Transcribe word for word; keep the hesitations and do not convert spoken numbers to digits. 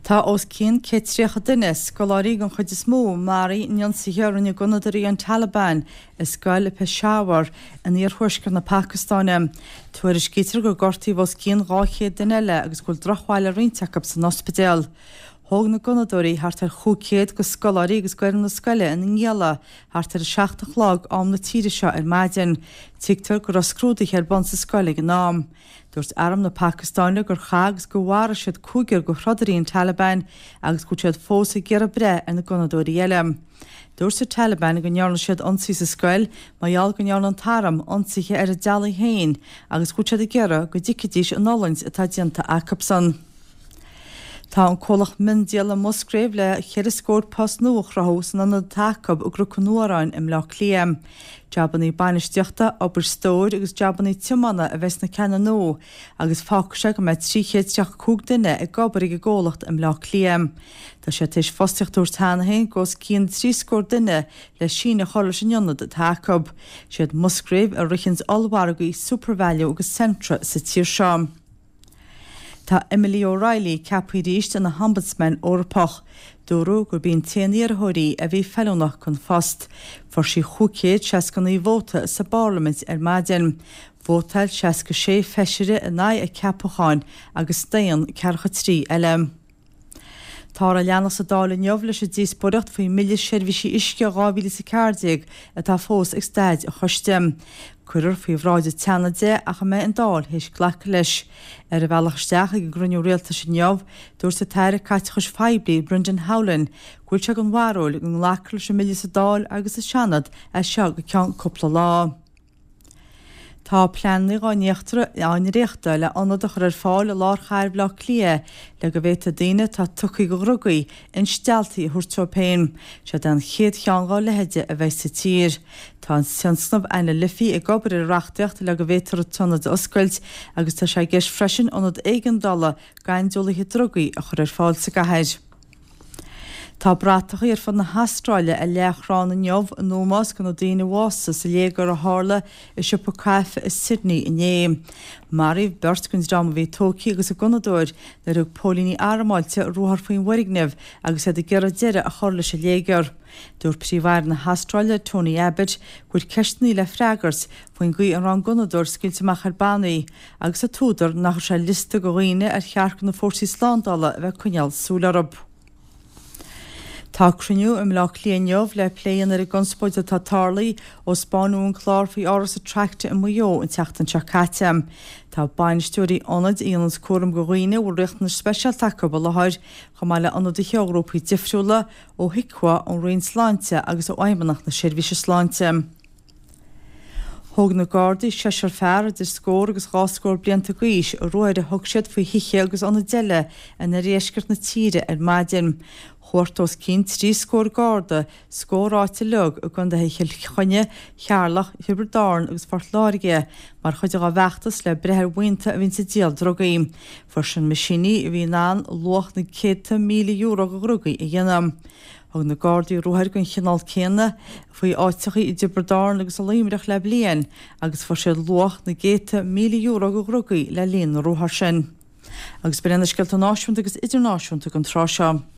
Tá os cionn céad tríocha duine, scoláirí den chuid is mó, maraithe in ionsaithe a rinne gunnadóirí an Taliban i scoil i Peshawar in iarthuaisceart na Pacastáine. Tuairiscítear gur gortaíodh os cionn dhá chéad duine eile agus go bhfuil drochbhail ar roinnt acu san ospidéal. Thóg na gunnadóirí thart ar chúig chéad de scoláirí agus d'fhoireann na scoile ina ngialla thart ar a seacht a chlog am na tíre seo ar maidin. Tuigtear go raibh scrúduithe ar bun sa scoil ag an am. Dúirt arm na Pacastáine gur chaith agus gur mharaigh siad cúigear de throdairí an Taliban agus go bhfuil siad fós ag iarraidh breith ar na gunnadóirí eile. Dúirt an Taliban go ndearna siad ionsaí sa scoil mar gheall go ndearna an t-arm ionsaithe ar a dteaghlaigh féin agus go bhfuil siad ag iarraidh go dtuigfidís an fhulaingt atá déanta acusan. Tá an comhlacht miondíola Musgrave le ceithre scór post nua a chruthú san ionad atá acu i gCnoc an Fhuaráin i mBleá Cliath. Jabannaí bainistíochta, obair stóir agus jabannaí tiomána a bheidh sna ceanna nua agus fágfaidh sé go mbeidh trí chéad tríocha cúig duine ag obair ag an gcomhlacht i mBleá Cliath. Tá sé tar éis fostaíocht a thabhairt cheana féin d'os cionn trí scór duine le síneadh a chur leis an ionad atá acu. Siad Musgrave a ritheanns ollmhargaí SuperValu agus Centra sa tír seo. Tá Emily O'Reilly ceaptha arís ina hOmbudsman Eorpach. Dúradh gurb í an t-aon iarrthóir í a bhí feiliúnach don phost. Fuair sí chúig chéad seasca naoi vóta sa bParlaimint ar maidin. Vótáil seasca sé feisire in aghaidh a ceapacháin agus staon ceathracha trí eile. Táthar ag leanacht sa Dáil inniu leis an díospóireacht faoin mBille Seirbhísí Uisce dhá mhíle is a ceathair déag atá fós ag staid an choiste. Cuirfear faoi bhráid an tSeanaid é ach a mbeidh an Dáil théis glacadh leis. Ar a bhealach isteach ag an gcruinniú rialtais inniu, dúirt an tAire Caiteachais Phoiblí Brendan Howlin go bhfuil sé den bharúil go nglacfar leis an mbille sa Dáil agus sa Seanad as seo go ceann cúpla lá. Tá pleananna á ndréachtadh le ionad a chur ar fáil i lár chathair Bhaile Átha Cliath le go bhféadfaidh daoine atá tugtha do dhrugaí instealltaí a thabhairt dóibh féin. Siod é an chéad cheann dá leithéide a bheidh sa tír. Tá an tionscnamh Anna Liffey ag obair ar an reachtaíocht le go bhféadfar an t-ionad a oscailt agus tá sé i gceist freisin ionad éigeandála gaineolaithe drugaí a chur ar fáil sa gcathair. Tá bratachaí ar fud na hAstráile á leathchrann inniu in ómós do na daoine a bhásaigh sa léigear a tharla i siopa caife i Sydney inné. Maraíodh beirt den dream a bhí tógtha agus an gunnadóir nuair a thug póilíní armáilte ruathar faoin bhfoirgneamh agus iad ag iarraidh deireadh a chur leis an léigear. Dúirt Príomh-Aire na hAstráile Tony Abbott go bhfuil ceisteanna le freagairt faoin gcaoi a raibh an gunnadóir scaoilte amach ar bannaí agus an t-údar nach raibh sé ar liosta de dhaoine ar cheart do na fórsaí slándála a bheith ag coinneáil súil orthu. Tá cruinniú i mBleá Cliath inniu le plé a dhéanamh ar an gconspóid atá tarlaithe ó spáineadh an clár faoi Áras Attracta i Maigh Eo an tseachtain seo caite. Tá bainisteoirí ionaid a dhéananns cúram do dhaoine a bhfuil riachtanais speisialta acu i láthair, chomh maith le ionadaithe ó ghrúpaí difriúla, ó HIQA, ón Roinn Sláinte agus ó Fheidhmeannacht na Seirbhíse Sláinte. Thóg na Gardaí seisear fear idir scór agus dhá scór blianta d'aois i ruathair a thug siad faoi thithe agus ionaid eile in oirdheisceart na tíre ar maidin. Chuartaigh os cionn trí scór Garda scór áit uilig i gcontaetha Chill Chainnigh, Cheatharlach, Thiobraid Árann agus Phort Láirge mar chuid dá bhfeachtas le breith ar bhuíonta a bhíonn ag díol drugaí. Fuair siad meaisíní a bhí in ann luach na céadta míle euro de dhrugaí a dhéanamh. Thug na Gardaí ruathair den chineál céanna faoi áiteachaí i dTiobraid Árann agus i Luimneach le bliain agus fuair siad luach na gcéadta míle euro de dhrugaí le linn na ruathar sin. Agus b'in iad na scéalta náisiúnta agus idirnáisiúnta don tráth seo.